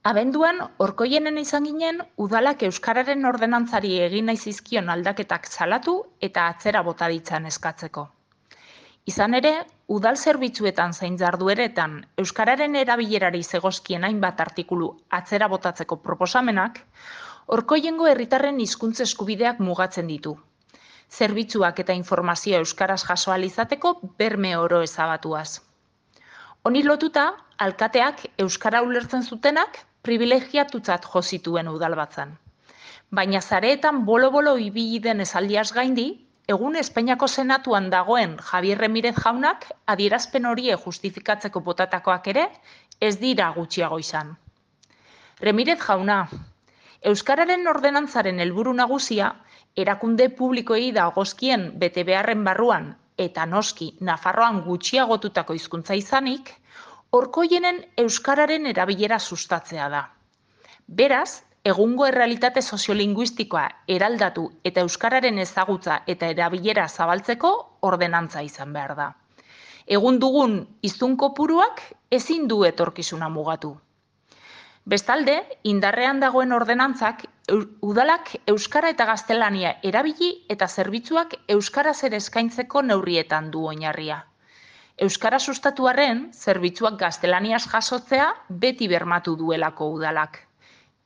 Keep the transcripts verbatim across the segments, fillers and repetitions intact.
Abenduan, Orkoienen izan ginen, udalak euskararen ordenantzari egin nahi zizkion aldaketak salatu eta atzera bota ditzan eskatzeko. Izan ere, udal zerbitzuetan zein jardueretan euskararen erabilerari zegozkien hainbat artikulu atzera botatzeko proposamenak, Orkoiengo herritarren hizkuntza eskubideak mugatzen ditu. Zerbitzuak eta informazioa euskaraz jaso ahal izateko berme oro ezabatuaz. Honi lotuta, alkateak euskara ulertzen zutenak privilegiatutzat jo zituen udalbatzan. Baina zareetan bolo-bolo ibili den esaldiaz gaindi, egun Espainiako Senatuan dagoen Javier Remirez jaunak adierazpen horie justifikatzeko botatakoak ere ez dira gutxiago izan. Remirez jauna, euskararen ordenantzaren helburu nagusia, erakunde publikoei dagozkien bete beharren barruan eta noski Nafarroan gutxiagotutako hizkuntza izanik, Orkoienen euskararen erabilera sustatzea da. Beraz, egungo errealitate soziolinguistikoa eraldatu eta euskararen ezagutza eta erabilera zabaltzeko ordenantza izan behar da. Egun dugun hiztun kopuruak ezin du etorkizuna mugatu. Bestalde, indarrean dagoen ordenantzak udalak euskara eta gaztelania erabili eta zerbitzuak euskaraz ere eskaintzeko neurrietan du oinarria. Euskara sustatuarren, zerbitzuak gaztelaniaz jasotzea beti bermatu duelako udalak.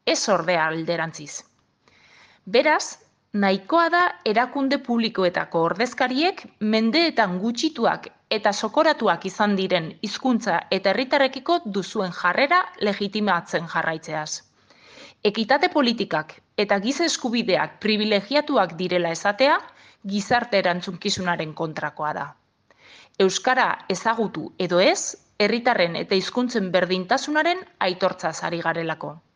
Ez ordea alderantziz. Beraz, nahikoa da erakunde publikoetako ordezkariek mendeetan gutxituak eta sokoratuak izan diren hizkuntza eta herritarrekiko duzuen jarrera legitimatzen jarraitzeaz. Ekitate politikak eta giza eskubideak privilegiatuak direla esatea gizarte erantzunkizunaren kontrakoa da. Euskara ezagutu edo ez, herritarren eta hizkuntzen berdintasunaren aitortzaz ari garelako.